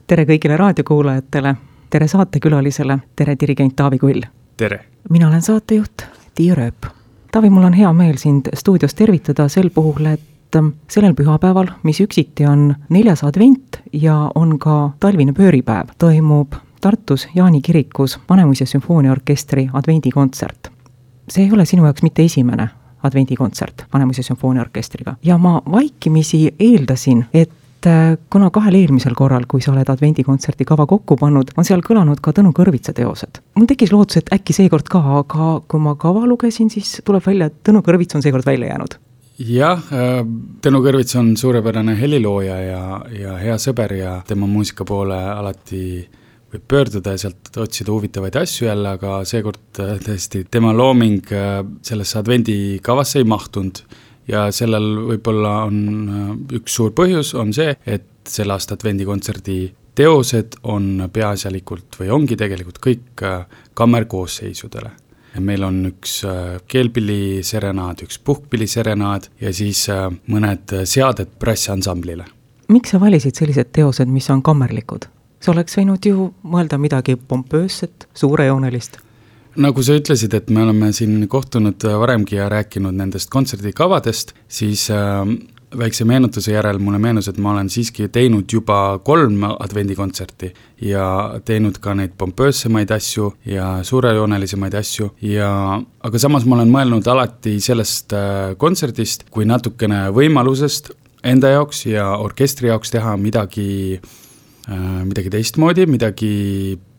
Tere kõigile raadiokuulajatele, tere saatekülalisele, tere dirigent Taavi Kull. Tere! Mina olen saatejuht Tiia Rööp. Taavi, mul on hea meel sind stuudios tervitada sel puhul, et sellel pühapäeval, mis üksiti on 4. advent ja on ka talvine pööripäev, toimub Tartus Jaani kirikus Vanemuise sümfooniaorkestri advendikontsert. See ei ole sinu jaoks mitte esimene advendikontsert Vanemuise sümfooniaorkestriga. Ja ma vaikimisi eeldasin, et kuna 2 eelmisel korral, kui sa oled advendikontserti kava kokku pannud, on seal kõlanud ka Tõnu Kõrvitsa teosed. Mul tekkis lootus, et äkki seekord ka, aga kui ma kava lugesin, siis tuleb välja, et Tõnu Kõrvits on seekord välja jäänud. Jah, Tõnu Kõrvits on suurepärane helilooja ja hea sõber ja tema muusika poole alati võib pöörduda ja sealt otsida huvitavaid asju jälle, aga seekord tõesti tema looming sellesse advendikavasse ei mahtunud. Ja sellel võib-olla on üks suur põhjus, on see, et selle aasta advendikontserdi teosed on peaasjalikult või ongi tegelikult kõik kammerkoosseisudele. Meil on üks keelpilliserenaad, üks puhkpilliserenaad ja siis mõned seaded brassiansamblile. Miks sa valisid sellised teosed, mis on kammerlikud? See oleks võinud ju mõelda midagi pompöösset, suurejoonelist. Nagu sa ütlesid, et me oleme siin kohtunud varemgi ja rääkinud nendest kontserdikavadest, siis väikse meenutuse järel mulle meenus, et ma olen siiski teinud juba 3 advendikontserti ja teinud ka neid pompöössemaid asju ja suurejoonelisemaid asju. Aga samas ma olen mõelnud alati sellest kontserdist kui natukene võimalusest enda jaoks ja orkestri jaoks teha midagi teistmoodi,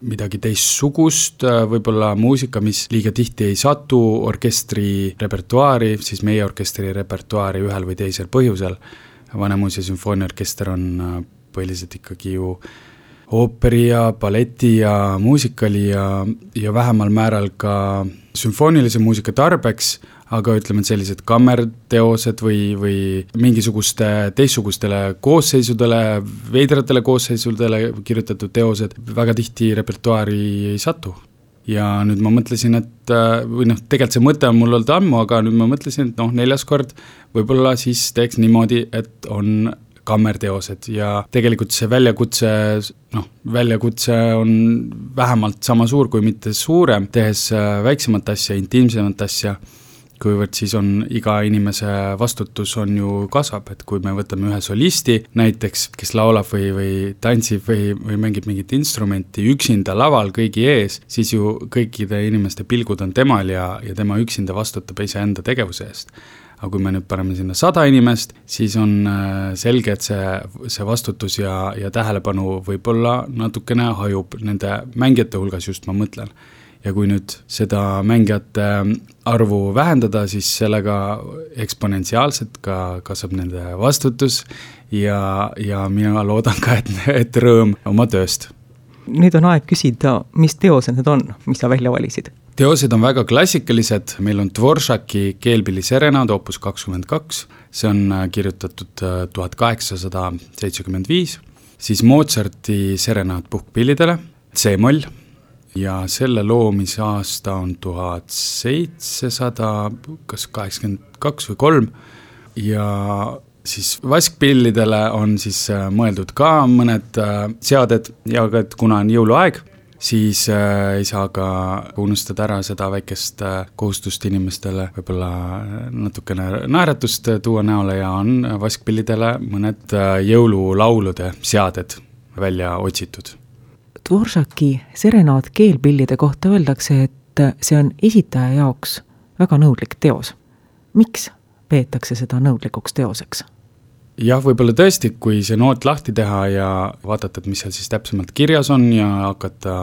midagi teistsugust, võib-olla muusika, mis liiga tihti ei satu orkestri repertuaari, siis meie orkestri repertuaari ühel või teisel põhjusel. Vanemuise sümfooniaorkester on põhiliselt ikkagi ju ooperi ja balleti ja muusikali ja vähemal määral ka sümfoonilise muusika tarbeks, aga ütleme, et sellised kammerteosed või mingisuguste teistsugustele koosseisudele, veidratele koosseisudele kirjutatud teosed väga tihti repertuaari ei satu. Ja nüüd ma mõtlesin, et tegelikult see mõte on mul olnud ammu, aga nüüd ma mõtlesin, et 4. kord võib-olla siis teeks niimoodi, et on kammerteosed ja tegelikult see väljakutse on vähemalt sama suur kui mitte suurem, tehes väiksemat asja, intiimsemat asja, kuivõrd siis on iga inimese vastutus on ju kasvab, et kui me võtame ühe solisti näiteks, kes laulab või tantsib või mängib mingit instrumenti üksinda laval kõigi ees, siis ju kõikide inimeste pilgud on temal ja tema üksinda vastutab iseenda tegevuse eest. Aga kui me nüüd paneme sinna 100 inimest, siis on selge, et see vastutus ja tähelepanu võib-olla natukene hajub nende mängijate hulgas, just ma mõtlen. Ja kui nüüd seda mängijate arvu vähendada, siis sellega eksponentsiaalselt ka kasvab nende vastutus ja mina loodan ka, et rõõm oma tööst. Nüüd on aeg küsida, mis teosed need on, mis sa välja valisid? Teosed on väga klassikalised, meil on Dvoržaki keelpilliserenaad opus 22, see on kirjutatud 1875, siis Mozarti serenaad puhkpillidele, C-moll, ja selle loomise aasta on 1782 või 3 ja siis vaskpillidele on siis mõeldud ka mõned seaded ja kuna on jõuluaeg, siis ei saa ka unustada ära seda väikest kohustust inimestele võib-olla natukene naeratust tuua näole ja on vaskpillidele mõned jõululaulude seaded välja otsitud. Dvoržaki serenaad keelpillide kohta öeldakse, et see on esitaja jaoks väga nõudlik teos. Miks peetakse seda nõudlikuks teoseks? Jah, võib-olla tõesti, kui see noot lahti teha ja vaadata, et mis seal siis täpsemalt kirjas on ja hakata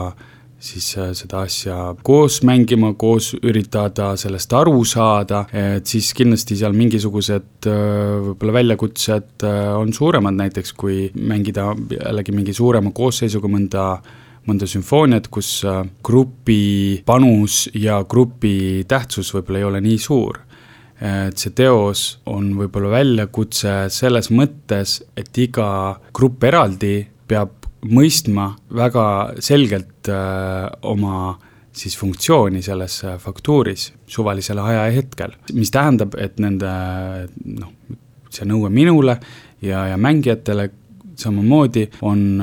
siis seda asja koos mängima, koos üritada sellest aru saada, et siis kindlasti seal mingisugused võib-olla väljakutsed on suuremad, näiteks kui mängida jällegi mingi suurema koosseisuga mõnda sümfooniat, kus grupi panus ja grupi tähtsus võib-olla ei ole nii suur. Et see teos on võib-olla väljakutse selles mõttes, et iga grupp eraldi peab mõistma väga selgelt oma siis funktsiooni selles faktuuris suvalisel ajahetkel, mis tähendab, et nende see nõue minule ja mängijatele samamoodi on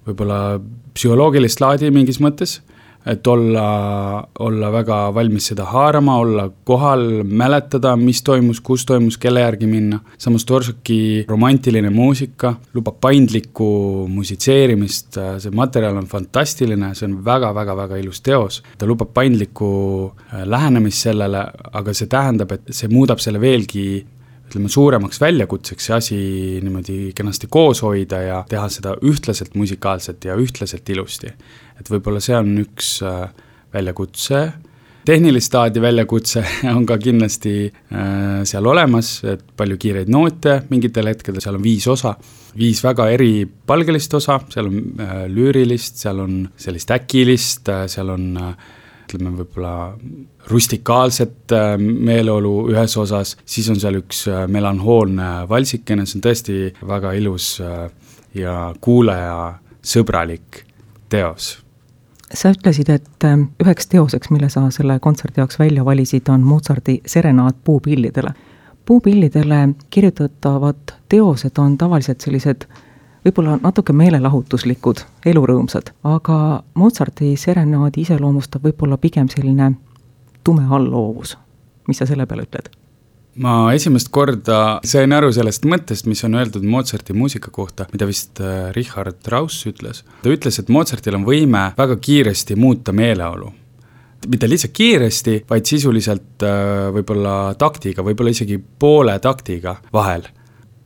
võib-olla psühholoogilist laadi mingis mõttes, et olla väga valmis seda haarama, olla kohal, mäletada, mis toimus, kus toimus, kelle järgi minna. Samas Dvořáki romantiline muusika lubab paindlikku musitseerimist, see materjal on fantastiline, see on väga-väga-väga ilus teos. Ta lubab paindlikku lähenemist sellele, aga see tähendab, et see muudab selle veelgi suuremaks väljakutseks see asi niimoodi kenasti koos hoida ja teha seda ühtlaselt musikaalselt ja ühtlaselt ilusti. Et võib-olla see on üks väljakutse. Tehnilist laadi väljakutse on ka kindlasti seal olemas, et palju kiireid noote mingitel hetkedel, seal on 5 osa, 5 väga eripalgelist osa, seal on lüürilist, seal on sellist äkilist, seal on ütleme võib-olla rustikaalset meeleolu ühes osas, siis on seal üks melanhoolne valsikene, see on tõesti väga ilus ja kuulaja sõbralik teos. Sa ütlesid, et üheks teoseks, mille sa selle kontserdi jaoks välja valisid, on Mozarti serenaad puupillidele. Puupillidele kirjutatavad teosed on tavaliselt sellised võib-olla natuke meelelahutuslikud, elurõõmsad, aga Mozarti serenaadi iseloomustab võib-olla pigem selline tume allhoovus. Mis sa selle peale ütled? Ma esimest korda sain aru sellest mõttest, mis on öeldud Mozarti muusika kohta, mida vist Richard Strauss ütles. Ta ütles, et Mozartil on võime väga kiiresti muuta meeleolu. Mitte lihtsalt kiiresti, vaid sisuliselt võib-olla taktiga, võib-olla isegi poole taktiga vahel.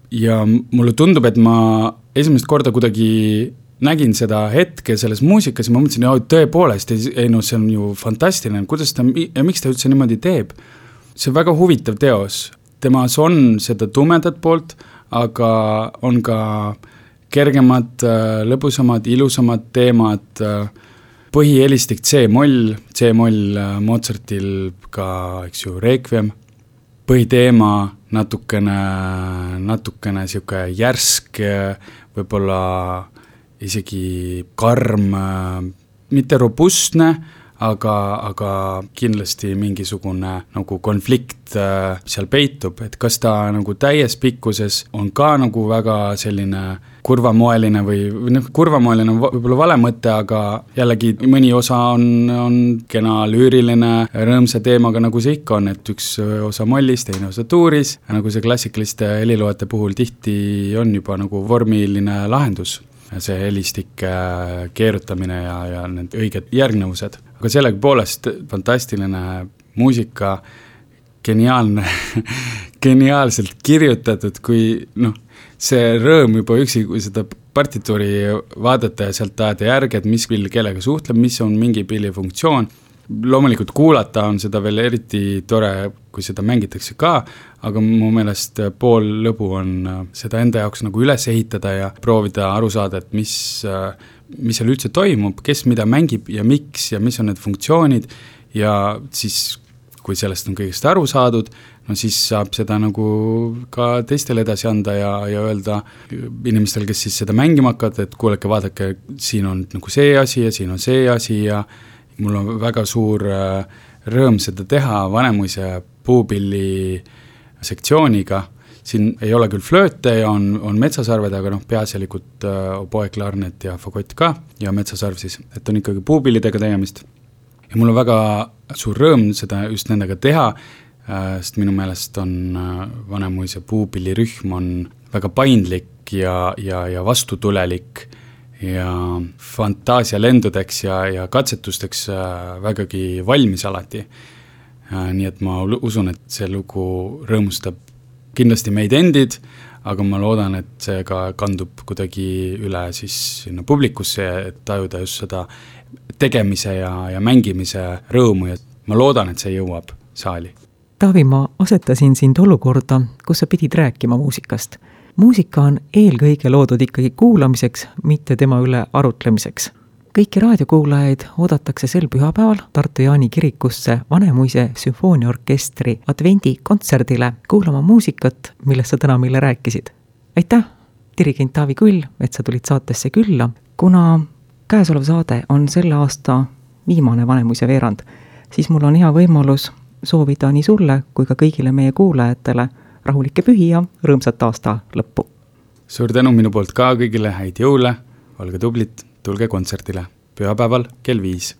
Ja mulle tundub, et ma esimest korda kuidagi nägin seda hetke selles muusikas ja ma mõtlesin, et tõepoolest, see on ju fantastiline, kuidas ta ja miks ta üldse niimoodi teeb. See on väga huvitav teos. Temas on seda tumedat poolt, aga on ka kergemad, lõbusamad, ilusamad teemad. Põhihelistik C-moll Mozartil ka, eks ju, Requiem. Põhiteema natukene siuke järsk, võib-olla isegi karm, mitte robustne, aga kindlasti mingisugune nagu konflikt seal peitub, et kas ta nagu täies pikkuses on ka nagu väga selline kurvamoeline või kurvamoeline on võib-olla vale mõte, aga jällegi mõni osa on kena lüüriline, rõõmsa teemaga, nagu see ikka on, et üks osa mollis, teine osa tuuris, nagu see klassikaliste heliloojate puhul tihti on juba nagu vormiline lahendus. See helistik keerutamine ja need õiged järgnevused. Aga sellega poolest fantastiline muusika, geniaalselt kirjutatud, kui see rõõm juba üksi, kui seda partituuri vaadata ja sealt ajada järgi, et mis pill kellega suhtleb, mis on mingi pilli funktsioon. Loomulikult kuulata on seda veel eriti tore, kui seda mängitakse ka, aga mu meelest pool lõbu on seda enda jaoks nagu üles ehitada ja proovida aru saada, et mis seal üldse toimub, kes mida mängib ja miks ja mis on need funktsioonid ja siis, kui sellest on kõigest aru saadud, siis saab seda nagu ka teistele edasi anda ja öelda inimestel, kes siis seda mängima hakkavad, et kuulake, vaadake, siin on nagu see asi ja siin on see asi ja mul on väga suur rõõm seda teha Vanemuise puupilli sektsiooniga. Siin ei ole küll flööte ja on metsasarved, aga peaasjalikult oboe, klarnet ja fagott ka ja metsasarv siis, et on ikkagi puupillidega tegemist. Ja mul on väga suur rõõm seda just nendega teha, sest minu meelest on Vanemuise puupillirühm on väga paindlik ja vastutulelik ja fantaasia lendudeks ja katsetusteks vägagi valmis alati. Nii et ma usun, et see lugu rõõmustab kindlasti meid endid, aga ma loodan, et see ka kandub kuidagi üle siis sinna publikusse, et tajuda just seda tegemise ja mängimise rõõmu ja ma loodan, et see jõuab saali. Taavi, ma asetasin sind olukorda, kus sa pidid rääkima muusikast. Muusika on eelkõige loodud ikkagi kuulamiseks, mitte tema üle arutlemiseks. Kõiki raadiokuulajaid oodatakse sel pühapäeval Tartu Jaani kirikusse Vanemuise sümfooniaorkestri advendikontserdile kuulama muusikat, millest sa täna meile rääkisid. Aitäh, dirigent Taavi Kull, et sa tulid saatesse külla. Kuna käesolev saade on selle aasta viimane Vanemuise veerand, siis mul on hea võimalus soovida nii sulle kui ka kõigile meie kuulajatele rahulikke pühi ja rõõmsat aasta lõppu. suur tänu minu poolt ka kõigile, häid jõule, olge tublid, tulge kontserdile pühapäeval kell 5.